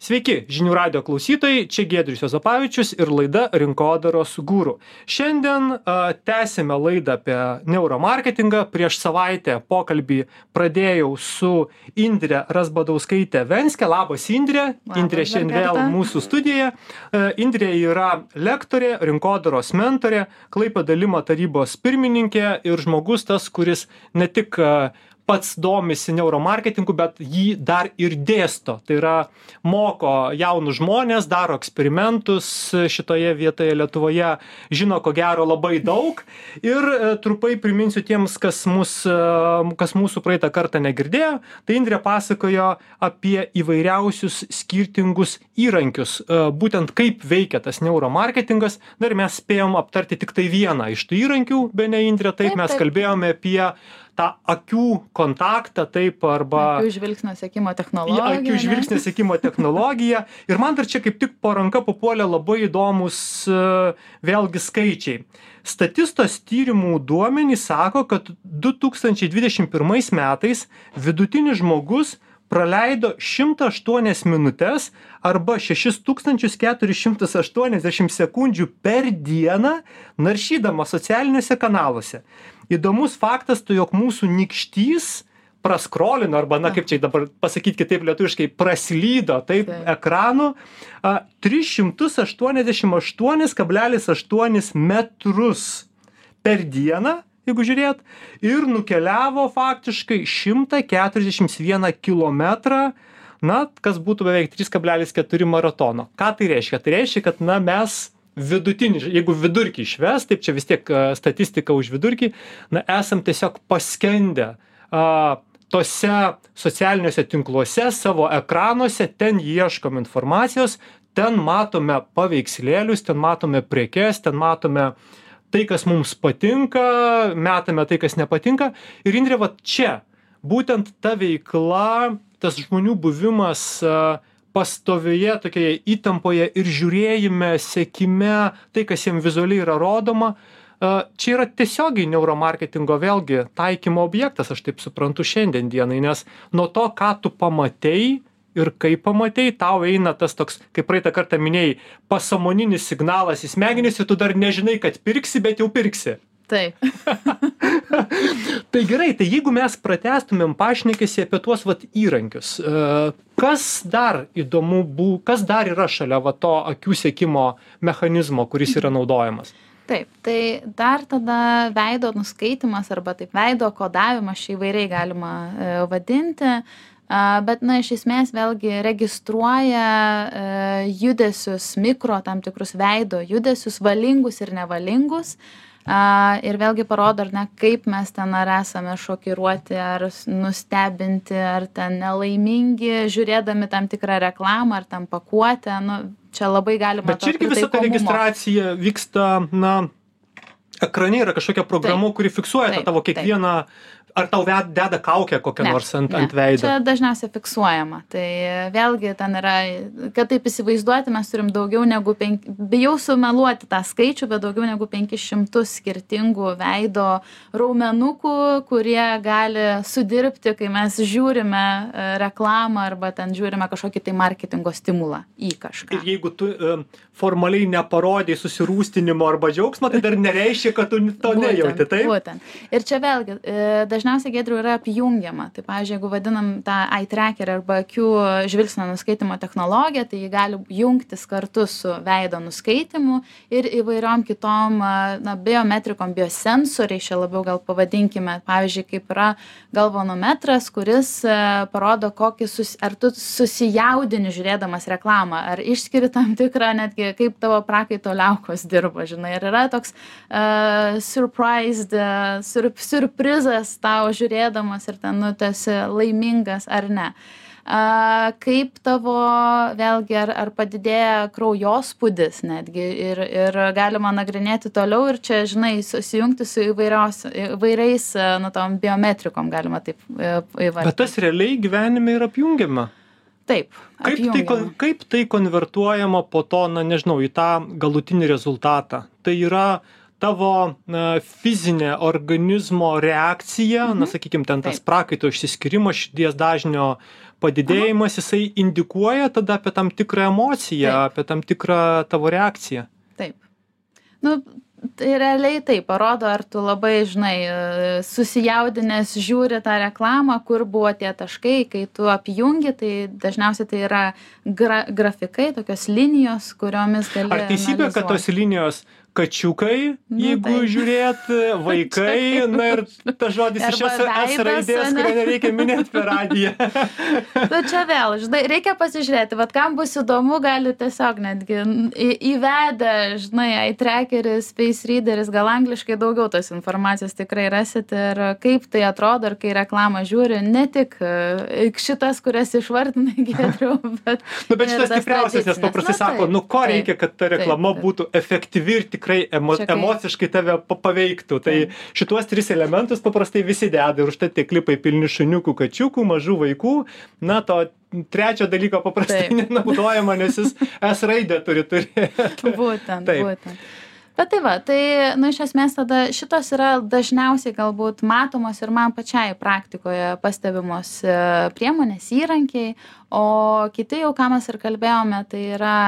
Sveiki, žinių radio klausytojai, čia Giedrius Juozapavičius ir laida Rinkodaros guru. Šiandien tęsime laidą apie neuromarketingą. Prieš savaitę pokalbį pradėjau su Indre Razbadauskaite Venske. Labas, Indre. Indre šiandien vėl mūsų studijoje. Indre yra lektorė, rinkodaros mentorė, Klaipėdos Lima tarybos pirmininkė ir žmogus tas, kuris ne tik pats domisi neuromarketingu, bet jį dar ir dėsto. Tai yra moko jaunus žmonės, daro eksperimentus šitoje vietoje Lietuvoje, žino ko gero labai daug. Ir trupai priminsiu tiems, kas mūsų praeitą kartą negirdėjo, tai Indrė pasakojo apie įvairiausius skirtingus įrankius, būtent kaip veikia tas neuromarketingas. Dar mes spėjom aptarti tik tai vieną iš tų įrankių, bene Indrė, taip mes kalbėjome apie tą akių kontaktą, taip, arba akių žvilgsnio sekimo technologiją. Akių žvilgsnio sekimo technologiją. Ir man dar čia kaip tik po ranka papuolė labai įdomus vėlgi skaičiai. Statistos tyrimų duomenys sako, kad 2021 metais vidutinis žmogus praleido 108 minutes arba 6480 sekundžių per dieną naršydama socialiniuose kanaluose. Įdomus faktas, tai jog mūsų nykštys praskrolino, arba, kaip čia dabar pasakyti kitaip lietuviškai, praslydo taip ekranu 388,8 metrus per dieną, jeigu žiūrėt, ir nukeliavo faktiškai 141 kilometrą, kas būtų beveik 3,4 maratono. Ką tai reiškia? Tai reiškia, kad mes vidutinį, jeigu vidurkį išves, taip čia vis tiek statistika už vidurkį, esam tiesiog paskendę tose socialiniuose tinkluose, savo ekranuose, ten ieškom informacijos, ten matome paveikslėlius, ten matome prekes, ten matome tai, kas mums patinka, metame tai, kas nepatinka. Ir Indrė, va čia, būtent ta veikla, tas žmonių buvimas pastovioje tokioje įtampoje ir žiūrėjime, sekime, tai, kas jiems vizualiai yra rodoma, čia yra tiesiogiai neuromarketingo vėlgi taikymo objektas, aš taip suprantu šiandien dienai, nes nuo to, ką tu pamatei ir kaip pamatei, tau eina tas toks, kaip praeitą kartą minėjai, pasąmoninis signalas į smegenis ir tu dar nežinai, kad pirksi, bet jau pirksi. Taip. Tai gerai, tai jeigu mes pratęstumėm pašnekesį apie tuos įrankius, kas dar įdomu, kas dar yra šalia to akių sekimo mechanizmo, kuris yra naudojamas? Taip, tai dar tada veido nuskaitimas arba taip veido kodavimas čia įvairiai galima vadinti, bet iš esmės vėlgi registruoja judesius, mikro tam tikrus veido judesius, valingus ir nevalingus. Ir vėlgi parodo, kaip mes ten ar esame šokiruoti, ar nustebinti, ar ten nelaimingi, žiūrėdami tam tikrą reklamą, ar tam pakuotę. Čia labai galima bet čia irgi visa ta registracija vyksta, ekrane yra kažkokia programa, kuri fiksuoja tą tavo kiekvieną. Ar tau deda kaukę kokią nors ant veido? Čia dažniausiai fiksuojama. Tai vėlgi ten yra, kad taip įsivaizduoti, mes turim daugiau negu bijau sumeluoti tą skaičių, bet daugiau negu 500 skirtingų veido raumenukų, kurie gali sudirbti, kai mes žiūrime reklamą arba ten žiūrime kažkokį tai marketingo stimulą į kažką. Ir jeigu tu formaliai neparodai susirūstinimo arba džiaugsmo, tai dar nereiškia, kad tu to nejauti, taip? Būtent. Ir čia vėlgi, dažniausiai, Giedriau, yra apjungiama. Tai, pavyzdžiui, jeigu vadinam tą eye tracker arba akių žvilgsnio nuskaitimo technologiją, tai jį gali jungtis kartu su veido nuskaitimu ir įvairiom kitom biometrikom, biosensoriai, čia labiau gal pavadinkime. Pavyzdžiui, kaip yra galvanometras, kuris parodo, ar tu susijaudini žiūrėdamas reklamą, ar išskiri tam tikrą netgi kaip tavo prakaito liaukos dirba, žinai. Ir yra toks surprizas tau žiūrėdamas ir ten, tu esi laimingas ar ne. Kaip tavo, vėlgi, ar padidėja kraujospūdis netgi ir galima nagrinėti toliau ir čia, žinai, susijungti su įvairiais, tom biometrikom galima taip įvardinti. Bet tas realiai gyvenime yra apjungiama. Taip, apjungiama. Kaip tai konvertuojama po to, į tą galutinį rezultatą? Tai yra tavo fizinė organizmo reakcija, na, sakykime, ten tas prakaito išsiskirimas, širdies dažnio padidėjimas, jisai indikuoja tada apie tam tikrą emociją, apie tam tikrą tavo reakciją. Taip. Nu, tai realiai tai parodo, ar tu labai, žinai, susijaudinęs žiūri tą reklamą, kur buvo tie taškai, kai tu apjungi, tai dažniausiai tai yra grafikai, tokios linijos, kuriomis gali Ar teisybė, kad tos linijos kačiukai, jeigu žiūrėt, vaikai, na ir ta žodis iš S raidės, kurio nereikia minėti per radiją. Bet čia vėl, žinai, reikia pasižiūrėti, vat kam bus įdomu, gali tiesiog netgi įvedę, žinai, iTrackeris, Space Readeris, gal angliškai daugiau tos informacijos tikrai rasit ir kaip tai atrodo, ir kai reklamą žiūri, ne tik šitas, kurias išvardinai, Giedriau, bet... Bet šitas stipriausias, nes paprastai sako, ko reikia, kad ta reklama būtų efektyvi ir tikrai emociškai tave paveiktų. Tai šituos 3 elementus paprastai visi deda ir už tai tie klipai pilni šuniukų, kačiukų, mažų vaikų. Na, to trečio dalyko paprastai nenaudojama, nes jis S raidę turi turėti. Būtent. Bet tai va, tai, iš esmės tada šitos yra dažniausiai galbūt matomos ir man pačiai praktikoje pastebimos priemonės, įrankiai, o kiti jau, ką mes ir kalbėjome, tai yra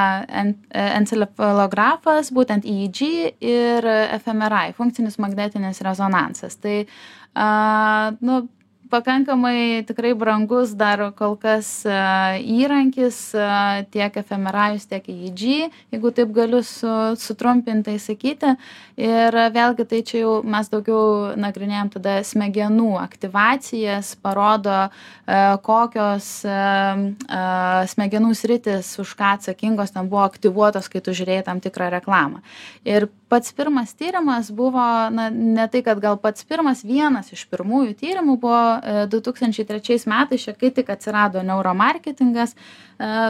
encefalografas, būtent EEG ir fMRI, funkcinis magnetinis rezonansas. Tai, pakankamai tikrai brangus dar kol kas įrankis, tiek fMRI, tiek EEG, jeigu taip galiu sutrumpintai sakyti. Ir vėlgi tai čia jau mes daugiau nagrinėjom tada smegenų aktyvacijas, parodo kokios smegenų sritis, už ką atsakingos ten buvo aktyvuotos, kai tu žiūrėjai tam tikrą reklamą. Ir pats pirmas tyrimas buvo, ne tai, kad gal pats pirmas, vienas iš pirmųjų tyrimų buvo 2003 metais, kai tik atsirado neuromarketingas,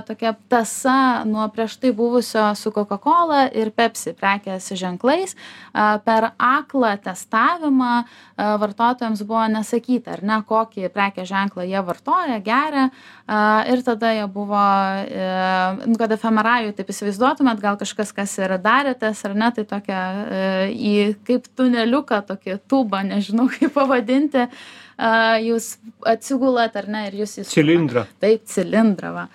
tokia tąsa nuo prieš tai buvusio su Coca-Cola ir Pepsi prekės ženklais. Per aklą testavimą vartotojams buvo nesakyta, ar ne, kokį prekės ženklą jie vartoja, geria. Ir tada jie buvo, kad fMRI, taip įsivaizduotumėt, gal kažkas, kas ir darėtės, ar ne, tai tokia į kaip tuneliuką, tokį tubą, nežinau kaip pavadinti, jūs atsigulat, ar ne, ir jūs įstumėt. Cilindrą. Taip, cilindrą, va.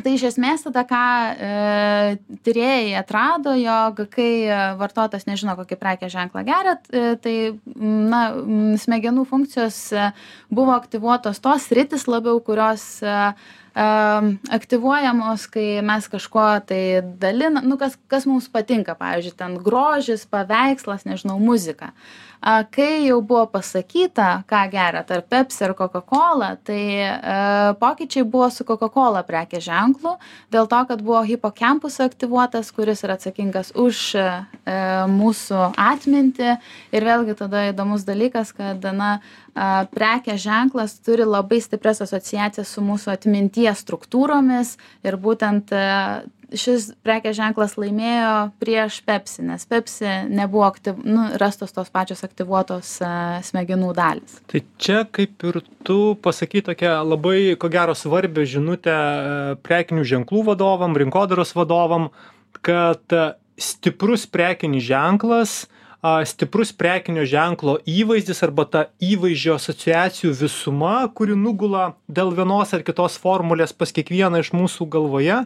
Tai iš esmės tada, ką tyrėjai atrado, jog kai vartotojas nežino, kokį prekės ženklą geria, tai smegenų funkcijos buvo aktyvuotos tos sritis labiau, kurios aktyvuojamos, kai mes kažko tai dalinam, kas mums patinka, pavyzdžiui, ten grožis, paveikslas, nežinau, muzika. Kai jau buvo pasakyta, ką geria tarp Pepsi ir Coca-Cola, tai pokyčiai buvo su Coca-Cola prekės ženklu, dėl to, kad buvo hipokampus aktyvuotas, kuris yra atsakingas už mūsų atmintį. Ir vėlgi tada įdomus dalykas, kad prekės ženklas turi labai stiprias asociacijas su mūsų atminties struktūromis ir būtent šis prekės ženklas laimėjo prieš Pepsi, nes Pepsi nebuvo rastos tos pačios aktyvuotos smegenų dalys. Tai čia kaip ir tu pasakai tokią labai, ko gero, svarbią žinutę prekinių ženklų vadovam, rinkodaros vadovam, kad stiprus prekinis ženklas, stiprus prekinio ženklo įvaizdis arba ta įvaizdžio asociacijų visuma, kuri nugula dėl vienos ar kitos formulės pas kiekvieną iš mūsų galvoje,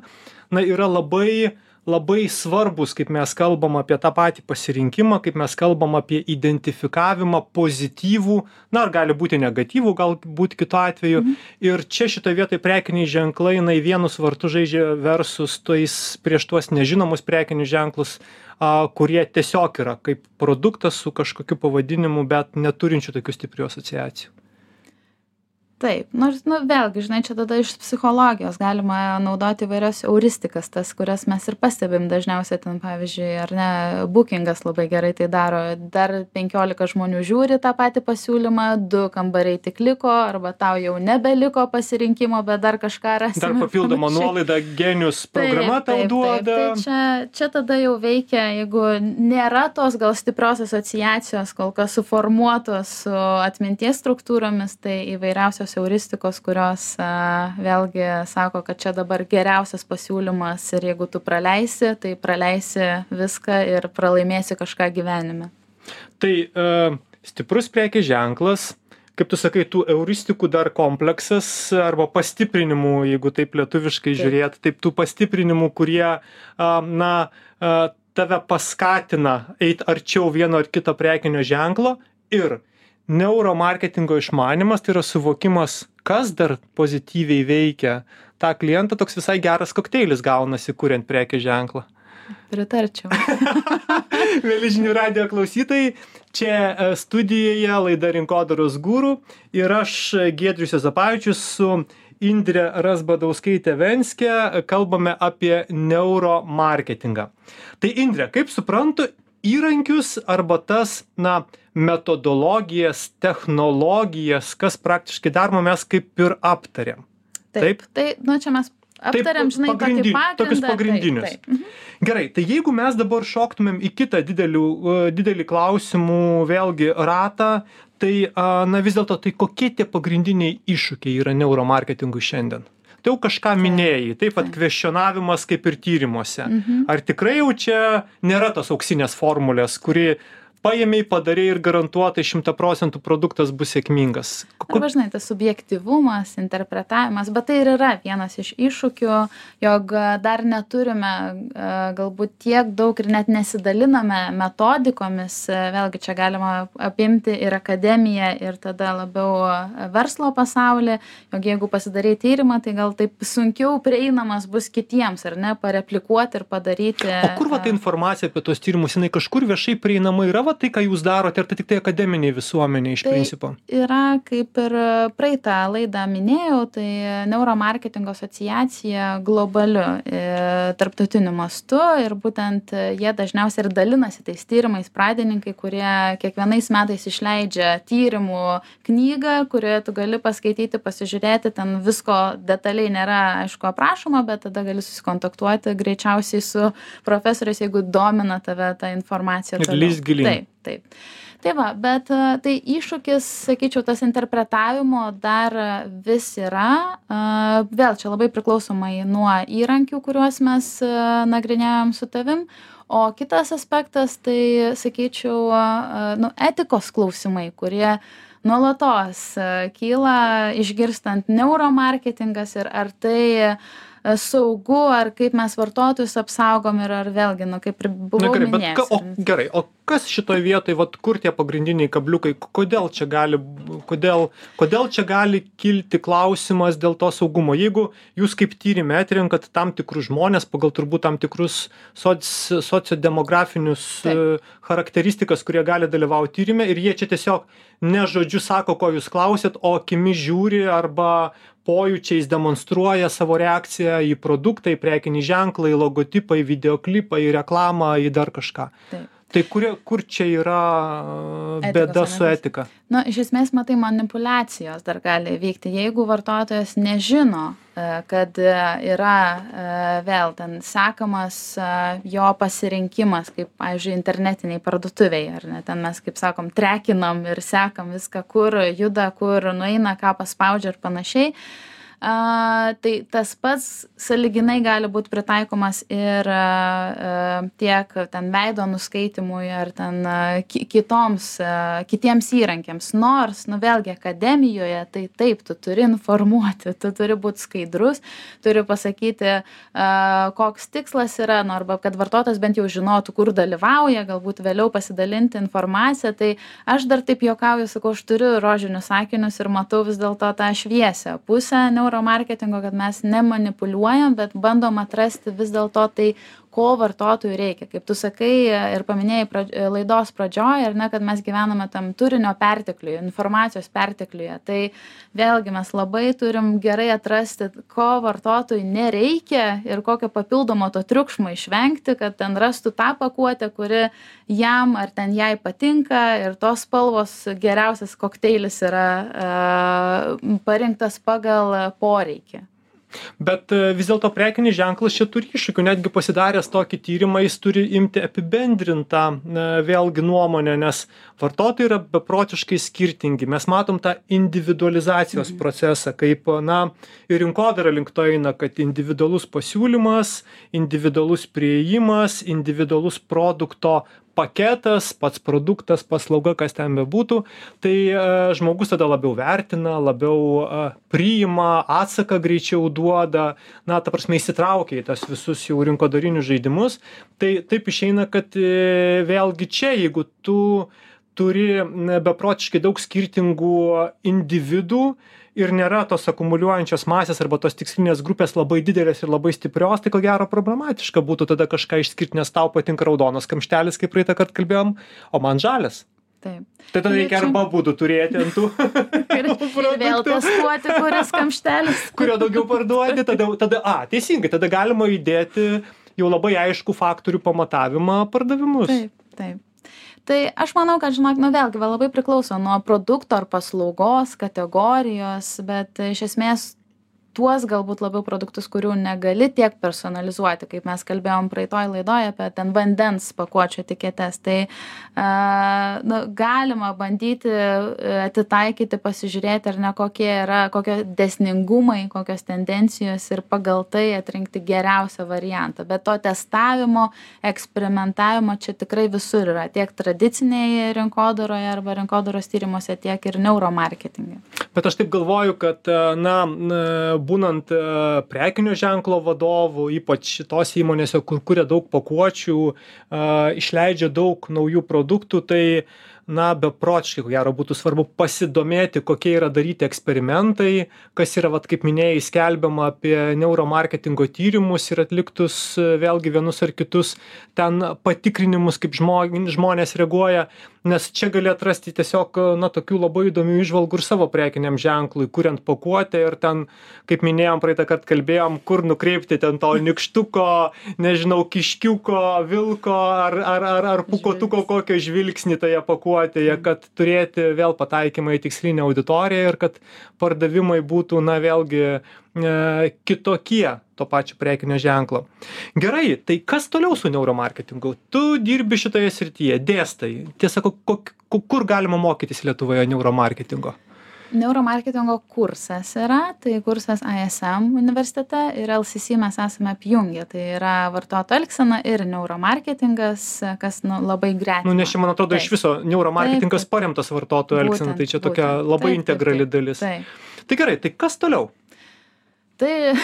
yra labai svarbus, kaip mes kalbam apie tą patį pasirinkimą, kaip mes kalbam apie identifikavimą pozityvų, ar gali būti negatyvų, galbūt kitu atveju. Ir čia šitoje vietoje prekiniai ženklai, vienus vartus žaidžia versus prieš tuos nežinomus prekinius ženklus, kurie tiesiog yra kaip produktas su kažkokiu pavadinimu, bet neturinčių tokių stiprių asociacijų. Taip, nors, vėlgi, žinai, čia tada iš psichologijos galima naudoti įvairias euristikas, tas, kurias mes ir pastebim dažniausiai ten, pavyzdžiui, ar ne, Bookingas labai gerai tai daro, dar 15 žmonių žiūri tą patį pasiūlymą, 2 kambariai tik liko, arba tau jau nebeliko pasirinkimo, bet dar kažką rasime. Dar papildoma nuolaida, Genius programa tau duoda. Tai čia tada jau veikia, jeigu nėra tos gal stiprios asociacijos, kol kas suformuotos su atminties struktūromis, tai įvairiausios euristikos, kurios vėlgi sako, kad čia dabar geriausias pasiūlymas ir jeigu tu praleisi, tai praleisi viską ir pralaimėsi kažką gyvenime. Tai stiprus prekės ženklas, kaip tu sakai, tų euristikų dar kompleksas arba pastiprinimų, jeigu taip lietuviškai žiūrėt, taip tų pastiprinimų, kurie tave paskatina eiti arčiau vieno ar kito prekinio ženklo ir neuromarketingo išmanymas, tai yra suvokimas, kas dar pozityviai veikia tą klientą, toks visai geras kokteilis gaunasi, kuriant prekės ženklą. Pritarčiau. Mėly žinių radijo klausytojai, čia studijoje laida Rinkodaros guru ir aš, Giedrius Juozapavičius, su Indre Razbadauskaite-Venske kalbame apie neuromarketingą. Tai Indre, kaip suprantu, įrankius arba tas, metodologijas, technologijas, kas praktiškai daroma, mes kaip ir aptarėm. Taip? Tai, čia mes aptariam, žinai, tokius pagrindinius. Taip. Gerai, tai jeigu mes dabar šoktumėm į kitą didelį klausimų vėlgi ratą, tai vis dėlto, tai kokie tie pagrindiniai iššūkiai yra neuromarketingui šiandien? Tai jau kažką minėjai, taip pat kvestionavimas kaip ir tyrimuose. Ar tikrai jau čia nėra tos auksinės formulės, kuri paėmei, padarei ir garantuotai 100% produktas bus sėkmingas? Arba, žinai, tas subjektyvumas, interpretavimas, bet tai ir yra vienas iš iššūkių, jog dar neturime galbūt tiek daug ir net nesidaliname metodikomis, vėlgi čia galima apimti ir akademiją, ir tada labiau verslo pasaulį, jog jeigu pasidarai tyrimą, tai gal taip sunkiau prieinamas bus kitiems, ar ne, pareplikuoti ir padaryti. O kur ta informacija apie tos tyrimus, jinai kažkur viešai prieinama yra, tai, ką jūs darote, ar tai tik tai akademiniai visuomeniai iš principo? Yra, kaip ir praeitą laidą minėjau, tai Neuromarketingo asociacija globaliu tarptautiniu mastu ir būtent jie dažniausiai ir dalinasi tais tyrimais, pradininkai, kurie kiekvienais metais išleidžia tyrimų knygą, kurioje tu gali paskaityti, pasižiūrėti, ten visko detaliai nėra, aišku, aprašoma, bet tada gali susikontaktuoti greičiausiai su profesoriais, jeigu domina tave ta informacija. Ir lįst gilyn. Taip. Tai va, bet tai iššūkis, sakyčiau, tas interpretavimo dar vis yra. Vėl čia labai priklausomai nuo įrankių, kuriuos mes nagrinėjom su tavim. O kitas aspektas, tai, sakyčiau, etikos klausimai, kurie nuolatos kyla išgirstant neuromarketingas ir ar tai saugu, ar kaip mes vartotojus apsaugom ir ar vėlgi, kaip ir buvau minėjęs. Gerai, o kas šitoj vietoj, kur tie pagrindiniai kabliukai, kodėl čia gali kilti klausimas dėl to saugumo? Jeigu jūs kaip tyrime atrenkat tam tikrus žmonės pagal turbūt tam tikrus sociodemografinius charakteristikas, kurie gali dalyvauti tyrime ir jie čia tiesiog ne žodžiu sako, ko jūs klausėt, o akimis žiūri arba pojūčiais demonstruoja savo reakciją į produktą, į prekinį ženklą, į logotipą, į videoklipą, į reklamą, į dar kažką. Taip. Tai kur čia yra bėda su etika? Iš esmės, matai, manipulacijos dar gali vykti. Jeigu vartotojas nežino, kad yra vėl ten sekamas jo pasirinkimas, kaip, pavyzdžiui, internetiniai parduotuviai, ar ne, ten mes, kaip sakom, trekinam ir sekam viską, kur juda, kur nueina, ką paspaudžia ir panašiai. Tai tas pats sąlyginai gali būti pritaikomas ir tiek ten veido nuskaitimui ar ten kitiems įrankiams. Nors, vėlgi, akademijoje, tai taip, tu turi informuoti, tu turi būti skaidrus, turi pasakyti, koks tikslas yra, arba kad vartotojas bent jau žinotų, kur dalyvauja, galbūt vėliau pasidalinti informaciją. Tai aš dar taip juokauju, sakau, aš turiu rožinius akinius ir matau vis dėlto tą šviesią pusę neuromarketingo, kad mes nemanipuliuojam, bet bandom atrasti vis dėlto tai, ko vartotojui reikia. Kaip tu sakai ir paminėjai laidos pradžioje, ar ne, kad mes gyvename tam turinio pertekliuje, informacijos pertekliuje. Tai vėlgi mes labai turim gerai atrasti, ko vartotojui nereikia ir kokio papildomo to triukšmo išvengti, kad ten rastų tą pakuotę, kuri jam ar ten jai patinka ir tos spalvos geriausias kokteilis yra parinktas pagal poreikį. Bet vis dėlto prekinis ženklas čia turi iššūkių, netgi pasidaręs tokį tyrimą, jis turi imti apibendrintą vėlgi nuomonę, nes vartotojai yra beprotiškai skirtingi. Mes matom tą individualizacijos procesą, kaip, ir rinkodara link to eina, kad individualus pasiūlymas, individualus priėjimas, individualus produkto paketas, pats produktas, paslauga, kas ten bebūtų, tai žmogus tada labiau vertina, labiau priima, atsaką greičiau duoda, ta prasme įsitraukia į tas visus jau rinkodarinius žaidimus. Tai taip išeina, kad vėlgi čia, jeigu tu turi beprotiškai daug skirtingų individų, ir nėra tos akumuliuojančios masės arba tos tikslinės grupės labai didelės ir labai stiprios, tai ko gero problematiška būtų tada kažką išskirti, nes tau patinka raudonas kamštelis, kaip praeitą kartą kalbėjom, o man žalias. Taip. Tai tada reikia arba būdų turėti ant tų ir vėl testuoti, kuris kamštelis. Kurio daugiau parduodi, teisingai, tada galima įdėti jau labai aišku faktorių pamatavimą pardavimus. Taip. Tai aš manau, kad, žinok, vėlgi, labai priklauso nuo produkto ar paslaugos, kategorijos, bet iš esmės tuos galbūt labiau produktus, kurių negali tiek personalizuoti, kaip mes kalbėjom praeitoj laidoje apie ten vandens pakuočių etiketes, tai galima bandyti atitaikyti, pasižiūrėti, ar ne kokie dėsningumai, kokios tendencijos ir pagal tai atrinkti geriausią variantą. Bet to testavimo, eksperimentavimo čia tikrai visur yra, tiek tradicinėje rinkodaroje arba rinkodaros tyrimuose, tiek ir neuromarketinge. Bet aš taip galvoju, kad, būnant prekinio ženklo vadovu, ypač šitos įmonėse, kur kuria daug pakuočių, išleidžia daug naujų produktų, tai beprotiškai, ko gero, būtų svarbu pasidomėti, kokie yra daryti eksperimentai, kas yra, kaip minėjai, skelbiama apie neuromarketingo tyrimus ir atliktus vėlgi vienus ar kitus ten patikrinimus, kaip žmonės reaguoja, nes čia gali atrasti tiesiog, tokių labai įdomių įžvalgų ir savo prekiniam ženklui, kuriant pakuotę ir ten, kaip minėjom, praeitą kartą kalbėjom, kur nukreipti ten to nykštuko, nežinau, kiškiuko, vilko ar pūkotuko kokio žvilgsnį toje pakuotėje, kad turėti vėl pataikymą į tikslinę auditoriją ir kad pardavimai būtų, vėlgi kitokie to pačio prekinio ženklo. Gerai, tai kas toliau su neuromarketingu? Tu dirbi šitoje srityje, dėstai. Tiesa, kur galima mokytis Lietuvoje neuromarketingo? Neuromarketingo kursas yra, tai kursas ISM universitete ir LCC mes esame apjungę, tai yra vartotojų elgsena ir neuromarketingas, kas labai gretima. Nes čia, man atrodo, iš viso neuromarketingas paremtas vartotojų elgsena, tai čia tokia labai integrali dalis. Tai gerai, tai kas toliau? Tai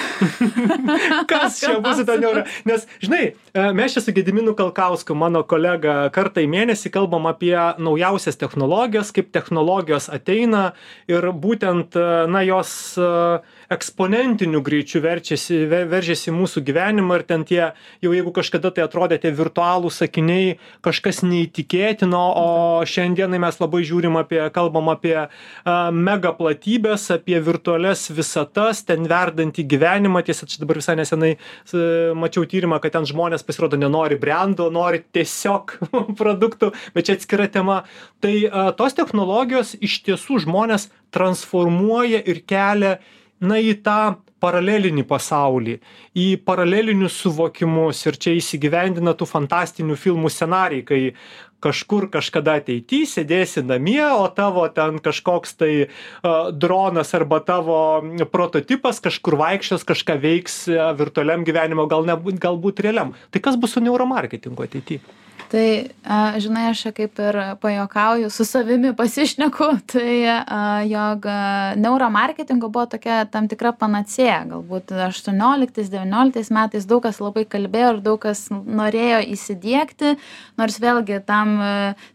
kas čia bus į tą neuro? Nes, žinai, mes čia su Gediminu Kalkausku, mano kolega, kartą į mėnesį kalbam apie naujausias technologijas, kaip technologijos ateina ir būtent, jos eksponentiniu greičiu veržiasi mūsų gyvenimą ir ten tie, jau jeigu kažkada tai atrodė tie virtualūs sakiniai, kažkas neįtikėtino, o šiandienai mes labai kalbam apie mega platybės, apie virtualias visatas, ten verdantį gyvenimą. Tiesa, čia dabar visai nesenai mačiau tyrimą, kad ten žmonės pasirodo nenori brendo, nori tiesiog produktų, bet čia atskira tema. Tai tos technologijos iš tiesų žmonės transformuoja ir kelia į tą paralelinį pasaulį, į paralelinius suvokimus ir čia įsigyvendina tų fantastinių filmų scenarijai, kai kažkur kažkada ateity sėdėsi namie, o tavo ten kažkoks tai dronas arba tavo prototipas kažkur vaikščios, kažką veiks virtualiam gyvenimo, galbūt realiam. Tai kas bus su neuromarketingu ateity? Tai, žinai, aš kaip ir pajuokauju, su savimi pasišneku, tai jog neuromarketingo buvo tokia tam tikra panacėja. Galbūt 18-19 metais daug kas labai kalbėjo ir daug kas norėjo įsidiegti, nors vėlgi tam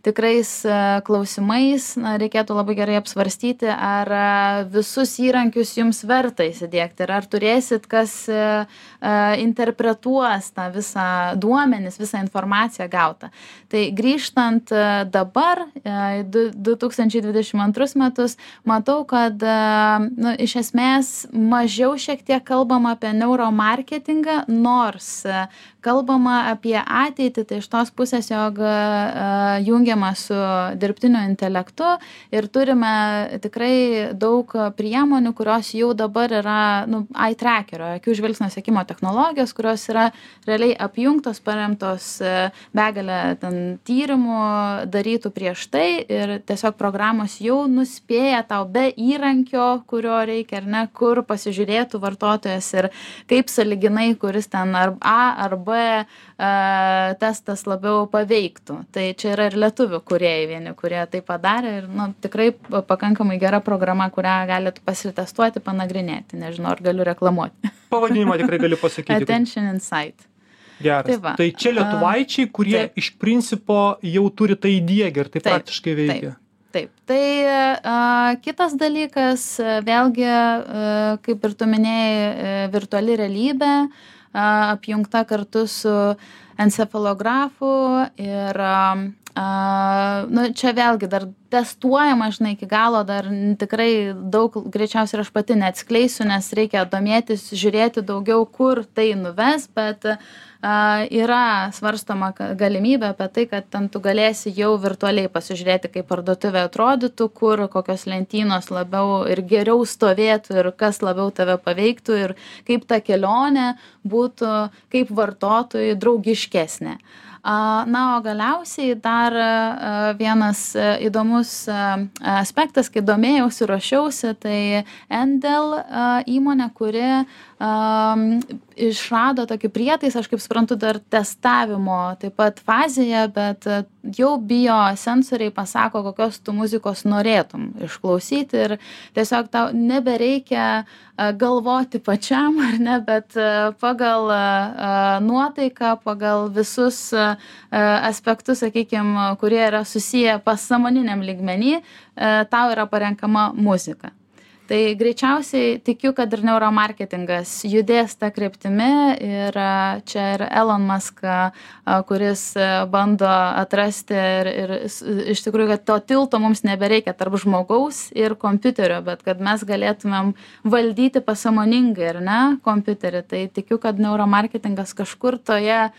tikrais klausimais reikėtų labai gerai apsvarstyti, ar visus įrankius jums verta įsidiegti ir ar turėsit, kas interpretuos tą visą duomenis, visą informaciją gautą. Tai grįžtant dabar, 2022 metus, matau, kad iš esmės mažiau šiek tiek kalbam apie neuromarketingą, nors kalbama apie ateitį, tai iš tos pusės, jog jungiama su dirbtiniu intelektu ir turime tikrai daug priemonių, kurios jau dabar yra eye trackerio, akių žvilgsnio sekimo technologijos, kurios yra realiai apjungtos, paremtos begalę ten tyrimų darytų prieš tai ir tiesiog programos jau nuspėja tau be įrankio, kurio reikia ar ne, kur pasižiūrėtų vartotojas ir kaip sąlyginai, kuris ten ar A ar B testas labiau paveiktų. Tai čia yra ir lietuvių kūrėjai vieni, kurie tai padarė ir tikrai pakankamai gera programa, kurią galite pasitestuoti, panagrinėti. Nežinau, ar galiu reklamuoti. Pavadinimą tikrai galiu pasakyti. Attention Insight. Geras. Tai čia lietuvaičiai, kurie iš principo jau turi tai įdiegę ir tai praktiškai veikia. Taip. Tai kitas dalykas, vėlgi, kaip ir tu minėjai, virtuali realybė, apjungta kartu su encefalografu ir čia vėlgi dar testuojama, žinai, iki galo dar tikrai daug, greičiausiai aš pati neatskleisiu, nes reikia domėtis, žiūrėti daugiau, kur tai nuves, bet yra svarstoma galimybė apie tai, kad ten tu galėsi jau virtualiai pasižiūrėti, kaip parduotuvė atrodytų, kur kokios lentynos labiau ir geriau stovėtų ir kas labiau tave paveiktų ir kaip ta kelionė būtų kaip vartotojui draugiškesnė. Na, o galiausiai dar vienas įdomus aspektas, kai domėjausi, ruošiausi, tai Endel įmonė, kuri išrado tokį prietaisą, aš kaip suprantu, dar testavimo taip pat fazėje, bet jau biosensoriai pasako, kokios tu muzikos norėtum išklausyti ir tiesiog tau nebereikia galvoti pačiam, ar ne, bet pagal nuotaiką, pagal visus aspektus, sakykime, kurie yra susiję pasąmoniniam lygmenį, tau yra parenkama muzika. Tai greičiausiai tikiu, kad ir neuromarketingas judės tą kryptimi ir čia ir Elon Musk, kuris bando atrasti ir iš tikrųjų, kad to tilto mums nebereikia tarp žmogaus ir kompiuterio, bet kad mes galėtumėm valdyti pasąmoningai, ar ne, kompiuterį. Tai tikiu, kad neuromarketingas kažkur toje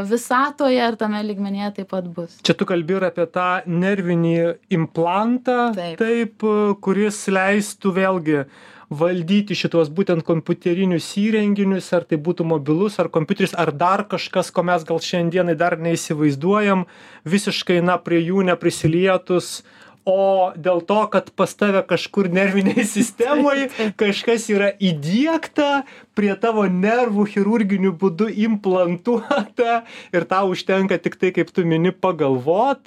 visatoje ar tame lygmenyje taip pat bus. Čia tu kalbi ir apie tą nervinį implantą, taip kuris leistų vėlgi valdyti šitos būtent kompiuterinius įrenginius, ar tai būtų mobilus, ar kompiuteris, ar dar kažkas, ko mes gal šiandienai dar neįsivaizduojam, visiškai prie jų neprisilietus, o dėl to, kad pas tave kažkur nerviniai sistemoje kažkas yra įdiegta, prie tavo nervų chirurginiu būdu implantuota ir tau užtenka tik tai, kaip tu mini, pagalvot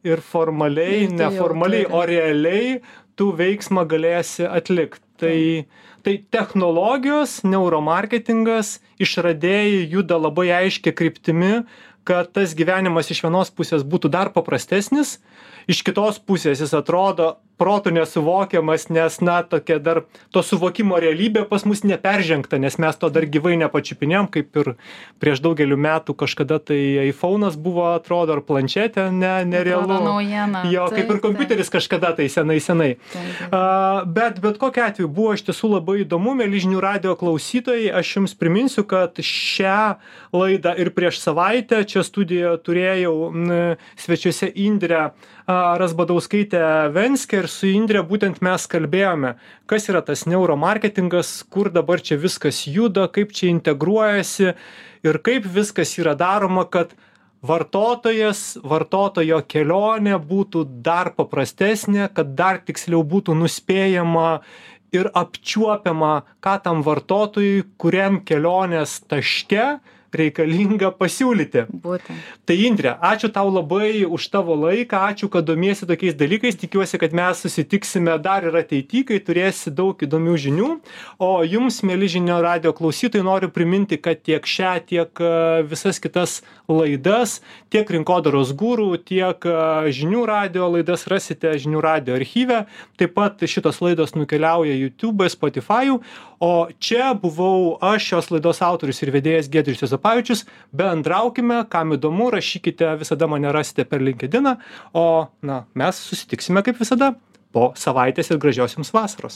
ir formaliai, neformaliai, o realiai tu veiksmą galėsi atlikti. Tai technologijos, neuromarketingas, išradėjai juda labai aiškia kryptimi, kad tas gyvenimas iš vienos pusės būtų dar paprastesnis, iš kitos pusės jis atrodo protu nesuvokiamas, nes tokia dar to suvokimo realybė pas mus neperžengta, nes mes to dar gyvai nepačiupinėjom, kaip ir prieš daugelį metų kažkada tai iPhone'as buvo, atrodo, ar planšetė, nerealu. Jo, kaip ir kompiuteris kažkada tai senai. Bet kokiu atveju buvo iš tiesų labai įdomu, mieli žinių radijo klausytojai, aš jums priminsiu, kad šią laidą ir prieš savaitę čia studijoje turėjau svečiuose Indrę Razbadauskaitę Venskę ir su Indre būtent mes kalbėjome, kas yra tas neuromarketingas, kur dabar čia viskas juda, kaip čia integruojasi ir kaip viskas yra daroma, kad vartotojo kelionė būtų dar paprastesnė, kad dar tiksliau būtų nuspėjama ir apčiuopiama, ką tam vartotojui, kuriam kelionės taške reikalinga pasiūlyti. Būtent. Tai Indre, ačiū tau labai už tavo laiką, ačiū, kad domiesi tokiais dalykais, tikiuosi, kad mes susitiksime dar ir ateityje, kai turėsi daug įdomių žinių, o jums, mieli žinių radijo klausytojai, noriu priminti, kad tiek šią, tiek visas kitas laidas, tiek Rinkodaros guru, tiek žinių radijo laidas rasite žinių radijo archyve, taip pat šitos laidos nukeliauja YouTube, Spotify, o čia buvau aš, šios laidos autorius ir vedėjas Giedrius Juozapavičius. Bendraukime, kam įdomu, rašykite, visada mane rasite per LinkedIną, o mes susitiksime kaip visada po savaitės ir gražios jums vasaros.